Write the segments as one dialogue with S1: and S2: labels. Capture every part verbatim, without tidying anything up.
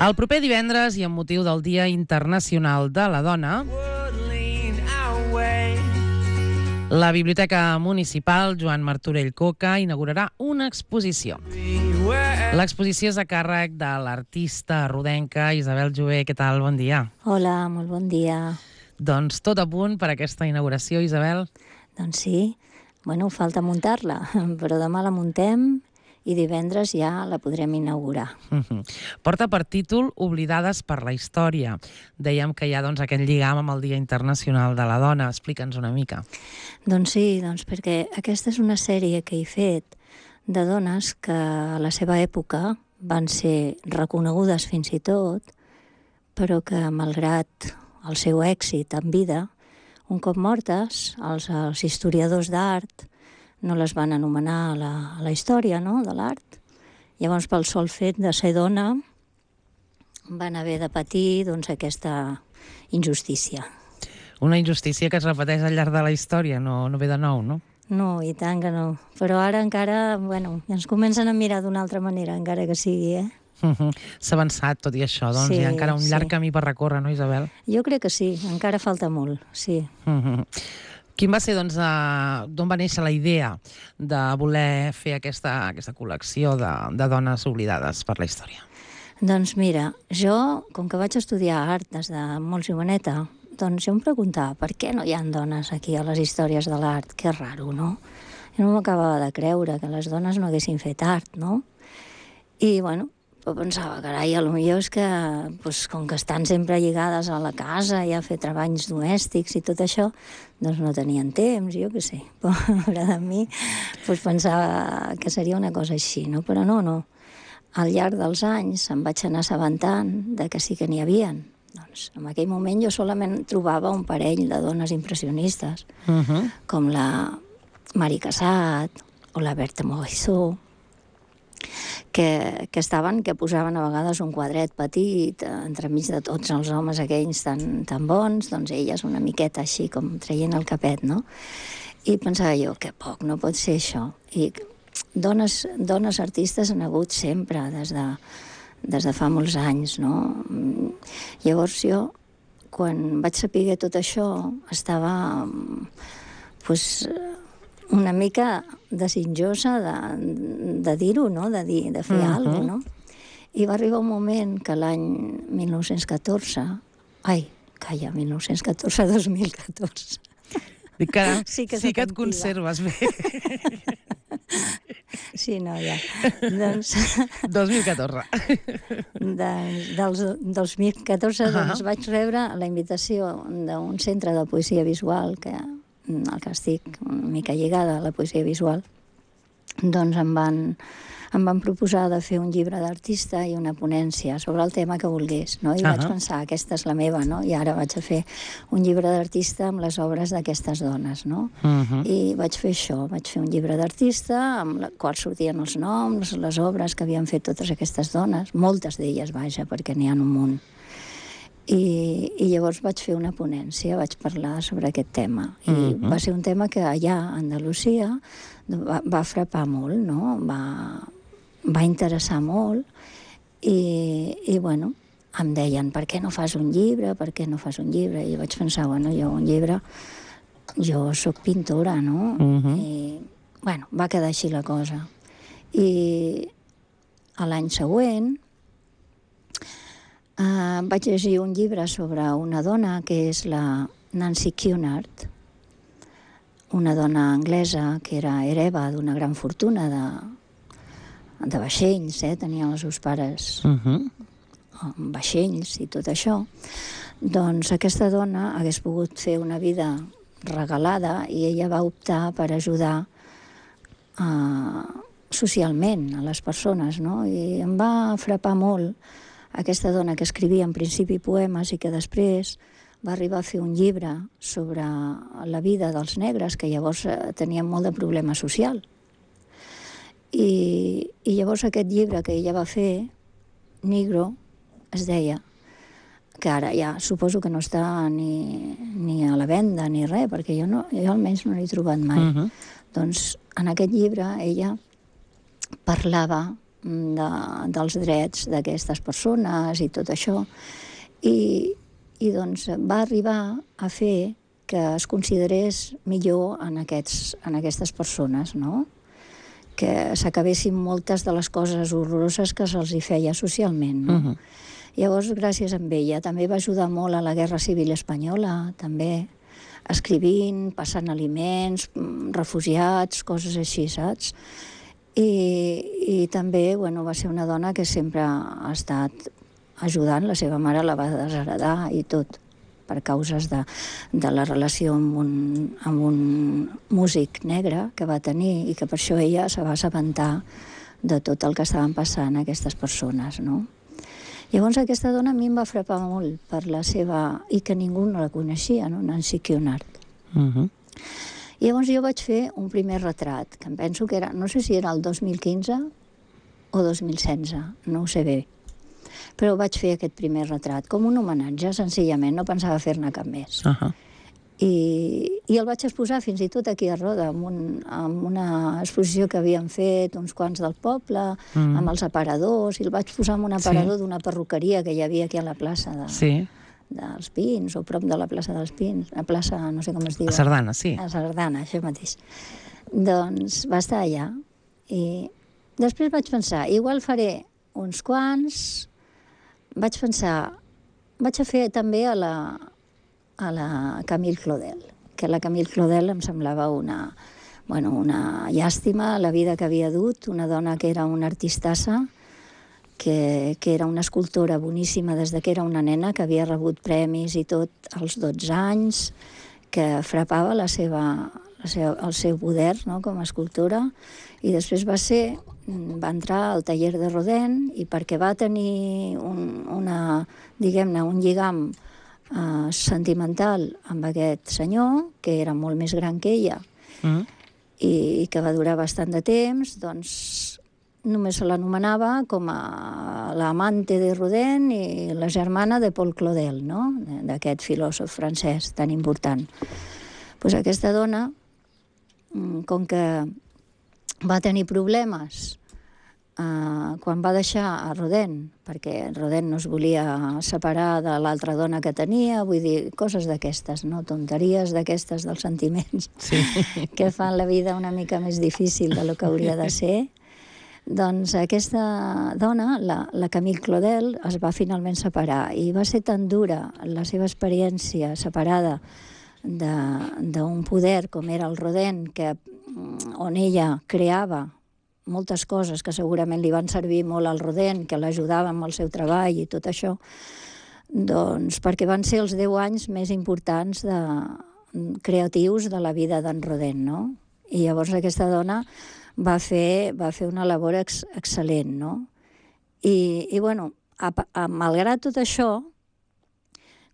S1: El proper divendres, i amb motiu del Dia Internacional de la Dona, la Biblioteca Municipal Joan Martorell Coca inaugurarà una exposició. L'exposició és a càrrec de l'artista rodenca Isabel Jové. Què tal? Bon dia.
S2: Hola, molt bon dia.
S1: Doncs tot a punt per aquesta inauguració, Isabel?
S2: Doncs sí. Bueno, falta muntar-la, però demà la muntem i divendres ja la podrem inaugurar.
S1: Uh-huh. Porta per títol Oblidades per la història. Dèiem que hi ha doncs, aquest lligam amb el Dia Internacional de la Dona. Explica'ns una mica.
S2: Doncs sí, doncs perquè aquesta és una sèrie que he fet de dones que a la seva època van ser reconegudes fins i tot, però que malgrat el seu èxit en vida, un cop mortes, els, els historiadors d'art no les van anomenar a la, a la història, no?, de l'art. Llavors, pel sol fet de ser dona, van haver de patir doncs, aquesta injustícia.
S1: Una injustícia que es repeteix al llarg de la història, no, no ve de nou, no?
S2: No, i tant que no. Però ara encara, bueno, ens comencen a mirar d'una altra manera, encara que sigui, eh?
S1: Uh-huh. S'ha avançat tot i això, doncs
S2: sí,
S1: hi ha encara un llarg
S2: sí.
S1: camí per recórrer, no, Isabel?
S2: Jo crec que sí, encara falta molt, sí.
S1: Uh-huh. Quin va ser, doncs, uh, d'on va néixer la idea de voler fer aquesta, aquesta col·lecció de, de dones oblidades per la història?
S2: Doncs mira, jo, com que vaig estudiar art des de molt joveneta, doncs jo em preguntava per què no hi ha dones aquí a les històries de l'art? Que raro, no? Jo no m'acabava de creure que les dones no haguessin fet art, no? I, bueno, pensava, carai, potser és que, doncs, com que estan sempre lligades a la casa i a fer treballs domèstics i tot això, doncs no tenien temps, jo què sé. Pobre de mi, doncs pensava que seria una cosa així, no? Però no, no. Al llarg dels anys em vaig anar assabentant de que sí que n'hi havien. Doncs en aquell moment jo solament trobava un parell de dones impressionistes, uh-huh. com la Mari Casat o la Berta Morisot, que, que estaven, que posaven a vegades un quadret petit entremig de tots els homes aquells tan, tan bons, doncs elles una miqueta així com traient el capet, no? I pensava jo, que poc, no pot ser això. I dones, dones artistes han hagut sempre, des de, des de fa molts anys, no? Llavors jo, quan vaig saber tot això, estava pues, una mica desitjosa de, de dir-ho, no? De, dir, de fer uh-huh. alguna cosa, no? I va arribar un moment que l'any mil nou-cents catorze... Ai, calla, mil nou-cents catorze dos mil catorze.
S1: Dic que
S2: sí que,
S1: sí que et conserves bé.
S2: Sí, no, ja. Doncs...
S1: dos mil catorze.
S2: De, dels dos mil catorze uh-huh. doncs, vaig rebre la invitació d'un centre de poesia visual que el que estic una mica lligada a la poesia visual, doncs em van, em van proposar de fer un llibre d'artista i una ponència sobre el tema que volgués, no? I uh-huh. vaig pensar, aquesta és la meva, no? I ara vaig a fer un llibre d'artista amb les obres d'aquestes dones, no? Uh-huh. I vaig fer això, vaig fer un llibre d'artista amb la qual sortien els noms, les obres que havien fet totes aquestes dones, moltes d'elles, vaja, perquè n'hi ha un munt. I, i llavors vaig fer una ponència, vaig parlar sobre aquest tema. I uh-huh. va ser un tema que allà a Andalusia va, va frapar molt, no? Va, va interessar molt i, i, bueno, em deien, per què no fas un llibre, per què no fas un llibre? I vaig pensar, bueno, jo un llibre, jo sóc pintora, no? Uh-huh. I, bueno, va quedar així la cosa. I l'any següent Uh, vaig llegir un llibre sobre una dona que és la Nancy Cunard, una dona anglesa que era hereva d'una gran fortuna de, de vaixells, eh? Tenien els seus pares uh-huh. vaixells i tot això. Doncs aquesta dona hagués pogut fer una vida regalada i ella va optar per ajudar uh, socialment a les persones, no? I em va frapar molt aquesta dona que escrivia en principi poemes i que després va arribar a fer un llibre sobre la vida dels negres, que llavors tenien molt de problema social. I, i llavors aquest llibre que ella va fer, Negro, es deia, que ara ja suposo que no està ni, ni a la venda ni res, perquè jo, no, jo almenys no l'he trobat mai. Uh-huh. Doncs en aquest llibre ella parlava de, dels drets d'aquestes persones i tot això. I, i doncs va arribar a fer que es considerés millor en, aquests, en aquestes persones, no? Que s'acabessin moltes de les coses horroroses que se'ls hi feia socialment, no? Uh-huh. Llavors, gràcies a ella, també va ajudar molt a la Guerra Civil Espanyola, també, escrivint, passant aliments, refugiats, coses així, saps? I, i també, bueno, va ser una dona que sempre ha estat ajudant, la seva mare la va desheredar i tot, per causes de, de la relació amb un, amb un músic negre que va tenir i que per això ella se va assabentar de tot el que estaven passant aquestes persones, no? Llavors aquesta dona a mi em va frapar molt per la seva... i que ningú no la coneixia, no? Nancy Cunard. Uh-huh. Llavors jo vaig fer un primer retrat, que em penso que era... no sé si era el dos mil quinze o dos mil setze, no ho sé bé. Però vaig fer aquest primer retrat, com un homenatge, senzillament, no pensava fer-ne cap més. Uh-huh. I, I el vaig exposar fins i tot aquí a Roda, amb, un, amb una exposició que havíem fet uns quants del poble, mm. amb els aparadors, i el vaig posar en un aparador sí. d'una perruqueria que hi havia aquí a la plaça de, sí. dels Pins, o prop de la plaça dels Pins, la plaça, no sé com es diu.
S1: A Sardana, sí.
S2: A Sardana, això mateix. Doncs va estar allà. I després vaig pensar, igual faré uns quants, vaig pensar, vaig a fer també a la... a la Camille Claudel, que la Camille Claudel em semblava una, bueno, una llàstima la vida que havia dut, una dona que era una artistassa, que, que era una escultora boníssima des de que era una nena, que havia rebut premis i tot als dotze anys, que frapava la seva, la seva, el seu poder, no?, com a escultora, i després va ser, va entrar al taller de Rodin, i perquè va tenir un, una, diguem-ne, un lligam Uh, sentimental amb aquest senyor, que era molt més gran que ella, mm. i, i que va durar bastant de temps, doncs només se l'anomenava com a l'amante de Rodin i la germana de Paul Claudel, no?, d'aquest filòsof francès tan important. Pues aquesta dona, com que va tenir problemes Uh, quan va deixar a Rodin, perquè Rodin no es volia separar de l'altra dona que tenia, vull dir, coses d'aquestes, no? Tonteries d'aquestes dels sentiments, sí. que fan la vida una mica més difícil de lo que hauria de ser. Doncs aquesta dona, la, la Camille Claudel, es va finalment separar, i va ser tan dura la seva experiència separada d'un poder com era el Rodin, que, on ella creava moltes coses que segurament li van servir molt al Rodin, que l'ajudava amb el seu treball i tot això, doncs perquè van ser els deu anys més importants de, creatius de la vida d'en Rodin, no? I llavors aquesta dona va fer, va fer una labor ex, excel·lent, no? I, i bueno, a, a, malgrat tot això,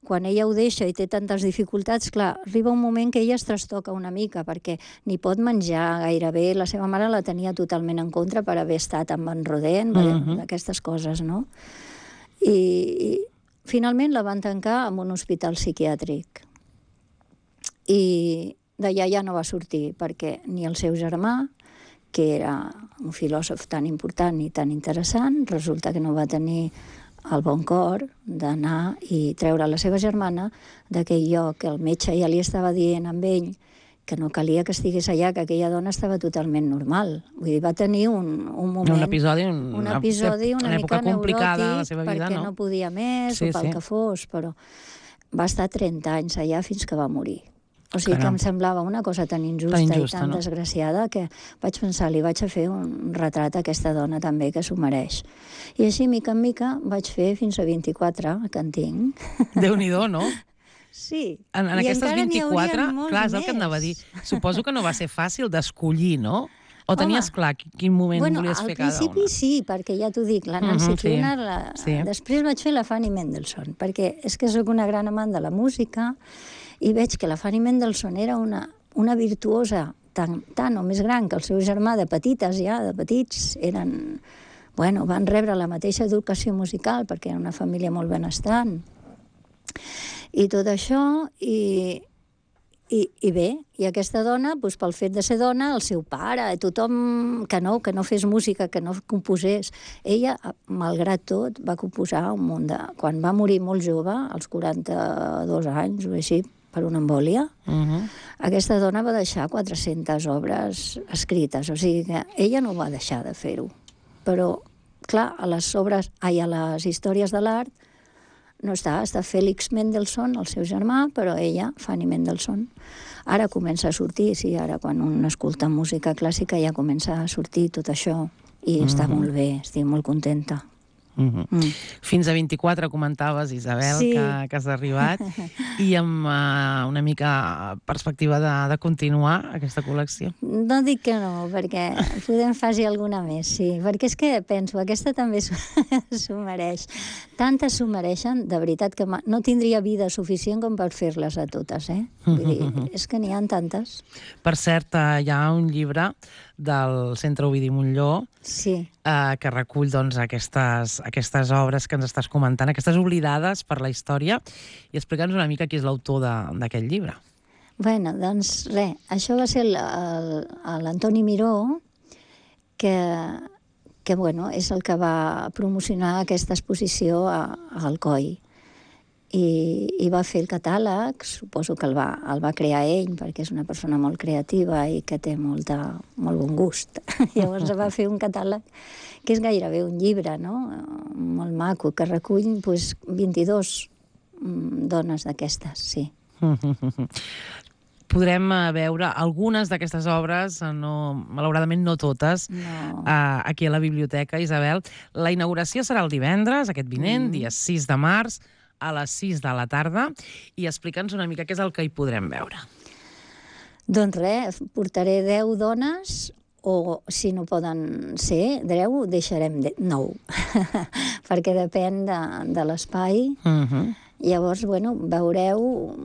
S2: quan ella ho deixa i té tantes dificultats, clar, arriba un moment que ella es trastoca una mica, perquè ni pot menjar gairebé, la seva mare la tenia totalment en contra per haver estat amb en Rodin, uh-huh. aquestes coses, no? I, i finalment la van tancar en un hospital psiquiàtric. I d'allà ja no va sortir, perquè ni el seu germà, que era un filòsof tan important i tan interessant, resulta que no va tenir el bon cor d'anar i treure la seva germana d'aquell lloc, que el metge ja li estava dient amb ell que no calia que estigués allà, que aquella dona estava totalment normal. Vull dir, va tenir un, un moment...
S1: Un episodi, un,
S2: un episodi una, una mica
S1: complicada de la seva vida,
S2: perquè
S1: no?
S2: no podia més, sí, o pel sí. que fos, però va estar trenta anys allà fins que va morir. O sigui Caram. que em semblava una cosa tan injusta, tan injusta i tan no? desgraciada que vaig pensar, li vaig a fer un retrat a aquesta dona també, que s'ho mereix. I així, mica en mica, vaig fer fins a vint-i-quatre, que en tinc.
S1: Déu-n'hi-do, no?
S2: Sí.
S1: En, en
S2: I
S1: aquestes vint-i-quatre, clar, és el
S2: més.
S1: que em anava a dir. Suposo que no va ser fàcil d'escollir, no? O tenies Home, clar quin moment
S2: bueno,
S1: volies fer cada una?
S2: Al principi sí, perquè ja t'ho dic, la Nancy uh-huh, Cunard, sí. la... sí. després vaig fer la Fanny Mendelssohn, perquè és que sóc una gran amant de la música, i veig que la Fanny Mendelssohn era una, una virtuosa tan, tan o més gran que el seu germà, de petites ja, de petits, eren, bueno, van rebre la mateixa educació musical perquè era una família molt benestant. I tot això, i, I, I bé, i aquesta dona, doncs, pel fet de ser dona, el seu pare, tothom que no, que no fes música, que no composés, ella, malgrat tot, va composar un munt de... Quan va morir molt jove, als quaranta-dos anys o així, per una embòlia, uh-huh. aquesta dona va deixar quatre-centes obres escrites, o sigui que ella no va deixar de fer-ho. Però, clar, a les obres, ai, a les històries de l'art, no està, està Félix Mendelssohn, el seu germà, però ella, Fanny Mendelssohn. Ara comença a sortir, sí, ara quan un escolta música clàssica ja comença a sortir tot això i mm-hmm. està molt bé, estic molt contenta.
S1: Mm-hmm. Mm. Fins a vint-i-quatre comentaves, Isabel, sí. que, que has arribat, i amb uh, una mica perspectiva de, de continuar aquesta col·lecció.
S2: No dic que no, perquè podem fer-hi alguna més, sí, perquè és que penso, aquesta també s'ho mereix. Tantes s'ho mereixen, de veritat que no tindria vida suficient com per fer-les a totes, eh? Vull dir, és que n'hi ha tantes.
S1: Per cert, hi ha un llibre del Centre Ovidi Montllor
S2: sí.
S1: eh, que recull doncs, aquestes, aquestes obres que ens estàs comentant, aquestes oblidades per la història, i explica'ns una mica qui és l'autor d'aquest llibre.
S2: Bueno, doncs res, això va ser l'Antoni Miró, que, que bueno, és el que va promocionar aquesta exposició a, a Alcoi. I, i va fer el catàleg, suposo que el va, el va crear ell, perquè és una persona molt creativa i que té molta, molt bon gust. Llavors va fer un catàleg que és gairebé un llibre, no? Molt maco, que recull pues, vint-i-dues dones d'aquestes, sí.
S1: Podrem veure algunes d'aquestes obres, no, malauradament no totes, no. aquí a la biblioteca, Isabel. La inauguració serà el divendres, aquest vinent, mm. dia sis de març, a les sis de la tarda, i explica'ns una mica què és el que hi podrem veure.
S2: Doncs res, portaré deu dones, o si no poden ser deu, deixarem nou, perquè depèn de, de l'espai. Uh-huh. Llavors, bueno, veureu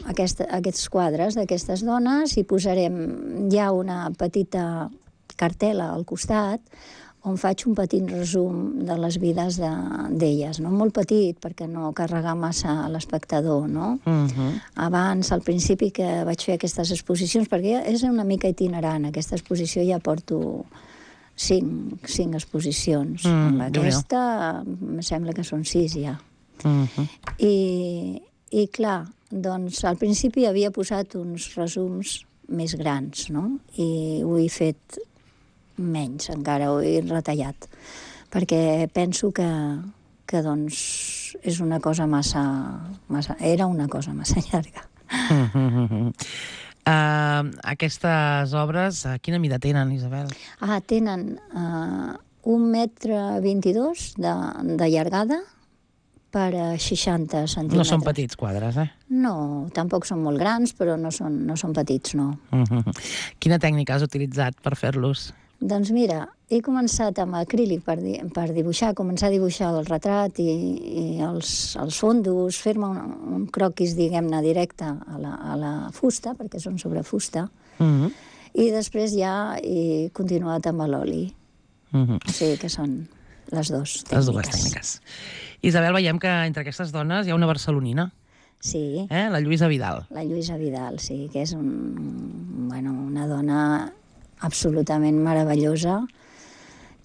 S2: aquesta, aquests quadres d'aquestes dones i posarem ja una petita cartel·la al costat on faig un petit resum de les vides d'elles, no? Molt petit, perquè no carregar massa a l'espectador, no? Uh-huh. Abans, al principi que vaig fer aquestes exposicions, perquè és una mica itinerant, aquesta exposició ja porto cinc, cinc exposicions. Mm, amb aquesta em sembla que són sis ja. Uh-huh. I, I clar, doncs al principi havia posat uns resums més grans, no? I ho he fet menys, encara ho he retallat, perquè penso que, que doncs és una cosa massa, massa... Era una cosa massa llarga.
S1: Uh, aquestes obres, quina mida tenen, Isabel?
S2: Ah, tenen uh, un metre vint-i-dos de, de llargada per seixanta centímetres.
S1: No són petits quadres, eh?
S2: No, tampoc són molt grans, però no són, no són petits, no. Uh-huh.
S1: Quina tècnica has utilitzat per fer-los?
S2: Doncs mira, he començat amb acrílic per, di per dibuixar, començar a dibuixar el retrat i, i els, els fondos, fer-me un, un croquis, diguem-ne, directe a la, a la fusta, perquè són sobre fusta, uh-huh. i després ja he continuat amb l'oli. Uh-huh. O sigui que són les dues tècniques.
S1: Les dues tècniques. Isabel, veiem que entre aquestes dones hi ha una barcelonina.
S2: Sí.
S1: Eh? La Lluïsa Vidal.
S2: La Lluïsa Vidal, sí, que és un, bueno, una dona absolutament meravellosa,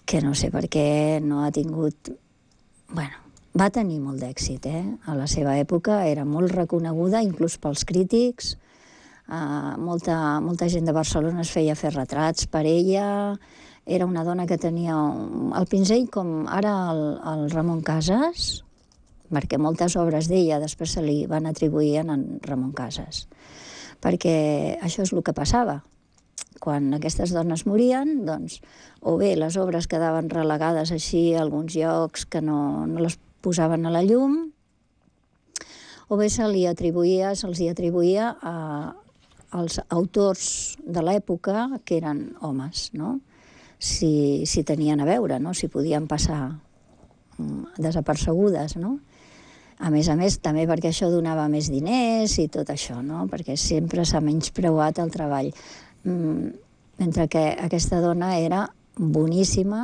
S2: que no sé per què no ha tingut... Bueno, va tenir molt d'èxit, eh? A la seva època era molt reconeguda, inclús pels crítics. Uh, molta, molta gent de Barcelona es feia fer retrats per ella. Era una dona que tenia un, el pinzell com ara el, el Ramon Casas, perquè moltes obres d'ella després se li van atribuir a Ramon Casas. Perquè això és el que passava. Quan aquestes dones morien, doncs, o bé les obres quedaven relegades així a alguns llocs que no, no les posaven a la llum, o bé se li atribuïa, se'ls atribuïa a, als autors de l'època que eren homes, no? Si, si tenien a veure, no? Si podien passar desapercebudes, no? A més a més, també perquè això donava més diners i tot això, no? Perquè sempre s'ha menyspreuat el treball. Mentre que aquesta dona era boníssima,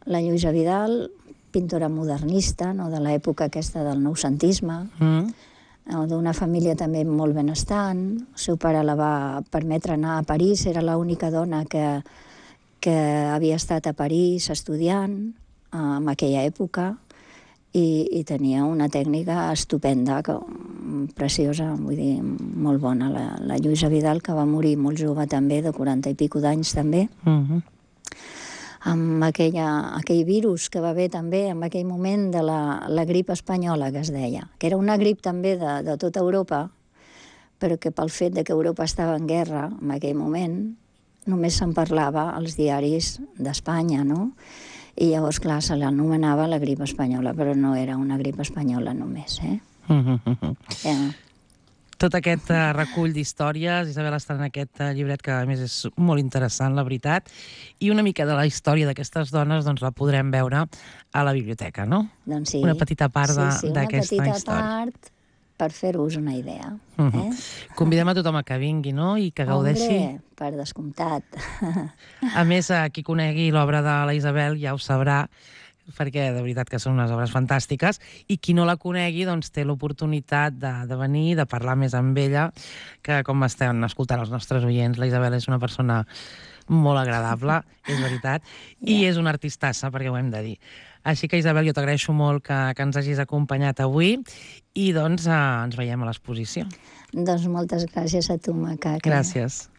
S2: la Lluïsa Vidal, pintora modernista, no? De l'època aquesta del noucentisme, mm. d'una família també molt benestant. El seu pare la va permetre anar a París, era l'única dona que, que havia estat a París estudiant en aquella època, i, i tenia una tècnica estupenda, que, preciosa, vull dir, molt bona. La, la Lluïsa Vidal, que va morir molt jove també, de quaranta i pico d'anys també,
S1: Uh-huh.
S2: amb aquella, aquell virus que va haver també en aquell moment de la, la grip espanyola, que es deia, que era una grip també de, de tota Europa, però que pel fet de que Europa estava en guerra en aquell moment, només se'n parlava als diaris d'Espanya, no? I llavors, clar, se l'anomenava la grip espanyola, però no era una grip espanyola només, eh?
S1: Uh-huh.
S2: Ja.
S1: Tot aquest uh, recull d'històries, Isabel, està en aquest uh, llibret, que a més és molt interessant, la veritat, i una mica de la història d'aquestes dones doncs la podrem veure a la biblioteca, no?
S2: Doncs sí.
S1: Una petita part
S2: sí, sí,
S1: d'aquesta
S2: una petita
S1: història.
S2: Part per fer-vos una idea.
S1: Uh
S2: eh?
S1: -huh. Convidem a tothom a que vingui, no?, i que gaudeixi.
S2: Hombre, per descomptat.
S1: A més, a qui conegui l'obra de la Isabel ja ho sabrà, perquè de veritat que són unes obres fantàstiques, i qui no la conegui doncs té l'oportunitat de, de venir, de parlar més amb ella, que com estem escoltant els nostres oients, la Isabel és una persona molt agradable, és veritat, i yeah. és una artistassa, perquè ho hem de dir. Així que, Isabel, jo t'agraeixo molt que, que ens hagis acompanyat avui, i doncs eh, ens veiem a l'exposició.
S2: Doncs moltes gràcies a tu, Maca.
S1: Gràcies.